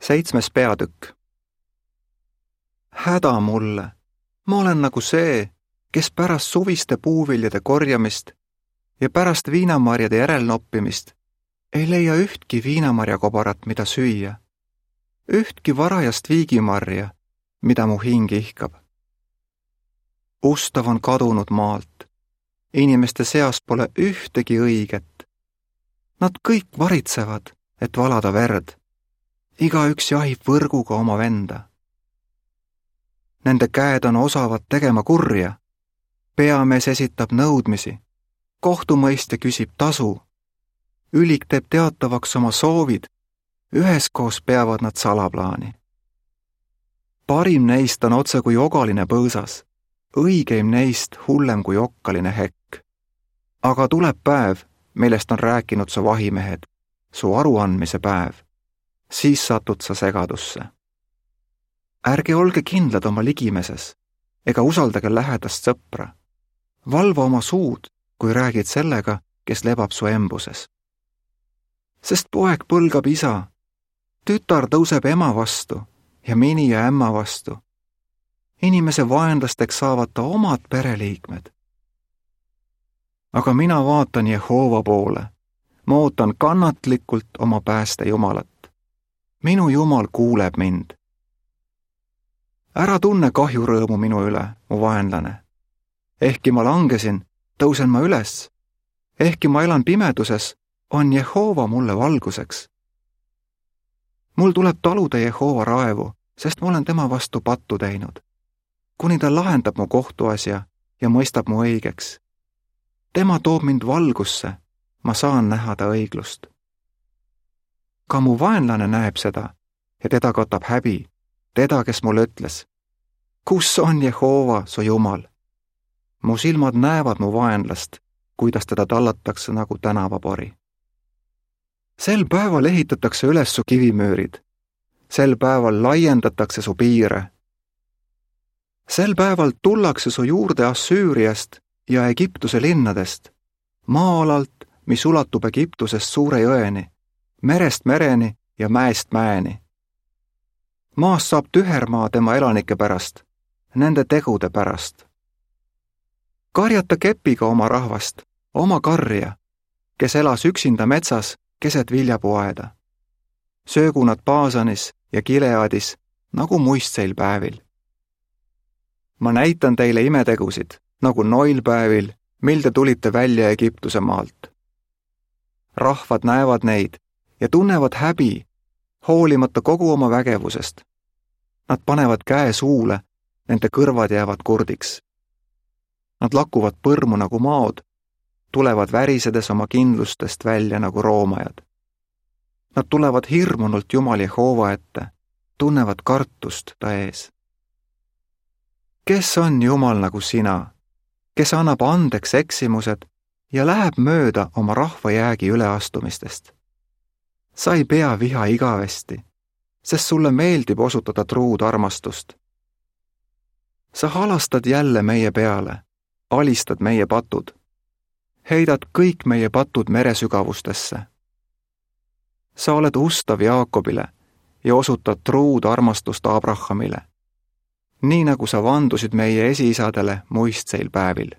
7. peatükk. Häda mulle, ma olen nagu see, kes pärast suviste puuviljade korjamist ja pärast viinamarjade järelnoppimist ei leia ühtki viinamarjakobarat, mida süüa, ühtki varajast viigimarja, mida mu hing ihkab. Ustav on kadunud maalt, inimeste seas pole ühtegi õiget. Nad kõik varitsevad, et valada verd. Igaüks jahib võrguga oma venda. Nende käed on osavad tegema kurja. Peamees esitab nõudmisi. Kohtumõistja küsib tasu. Ülik teeb teatavaks oma soovid. Üheskoos peavad nad salaplaani. Parim neist on otse kui ogaline põõsas. Õigeim neist hullem kui okkaline hekk. Aga tuleb päev, millest on rääkinud su vahimehed, su aruandmise päev. Siis satud sa segadusse. Ärge olge kindlad oma ligimeses, ega usaldage lähedast sõpra. Valva oma suud, kui räägid sellega, kes lebab su embuses. Sest poeg põlgab isa, tütar tõuseb ema vastu ja mini ja ämma vastu. Inimese vaenlasteks saavad ta omad pereliikmed. Aga mina vaatan Jehova poole. Ma ootan kannatlikult oma pääste Jumalat. Minu Jumal kuuleb mind. Ära tunne kahjurõõmu minu üle, mu vaenlane. Ehkki ma langesin, tõusen ma üles. Ehkki ma elan pimeduses, on Jehova mulle valguseks. Mul tuleb taluda Jehova raevu, sest ma olen tema vastu pattu teinud. Kuni ta lahendab mu kohtuasja ja mõistab mu õigeks. Tema toob mind valgusse, ma saan näha ta õiglust. Ka mu vaenlane näeb seda ja teda katab häbi, teda, kes mulle ütles, kus on Jehova, su Jumal? Mu silmad näevad mu vaenlast, kuidas teda tallatakse nagu tänavapori. Sel päeval ehitatakse üles su kivimüürid, sel päeval laiendatakse su piire. Sel päeval tullakse su juurde Assüüriast ja Egiptuse linnadest, maa-alalt, mis ulatub Egiptusest suure jõeni, merest mereni ja mäest mäeni. Maast saab tühermaa tema elanike pärast, nende tegude pärast. Karjata kepiga oma rahvast, oma karja, kes elas üksinda metsas keset viljapuaeda. Söögu nad Baasanis ja Gileadis nagu muistseil päevil. Ma näitan teile imetegusid, nagu noilpäevil, mil te tulite välja Egiptuse maalt. Rahvad näevad neid ja tunnevad häbi, hoolimata kogu oma vägevusest. Nad panevad käe suule, nende kõrvad jäävad kurdiks. Nad lakuvad põrmu nagu maod, tulevad värisedes oma kindlustest välja nagu roomajad. Nad tulevad hirmunult Jumal Jehova ette, tunnevad kartust ta ees. Kes on Jumal nagu sina, kes annab andeks eksimused ja läheb mööda oma rahva jäägi üleastumistest? Sa ei pea viha igavesti, sest sulle meeldib osutada truud armastust. Sa halastad jälle meie peale, alistad meie patud, heidad kõik meie patud meresügavustesse. Sa oled ustav Jaakobile ja osutad truud armastust Abrahamile, nii nagu sa vandusid meie esiisadele muistseil päevil.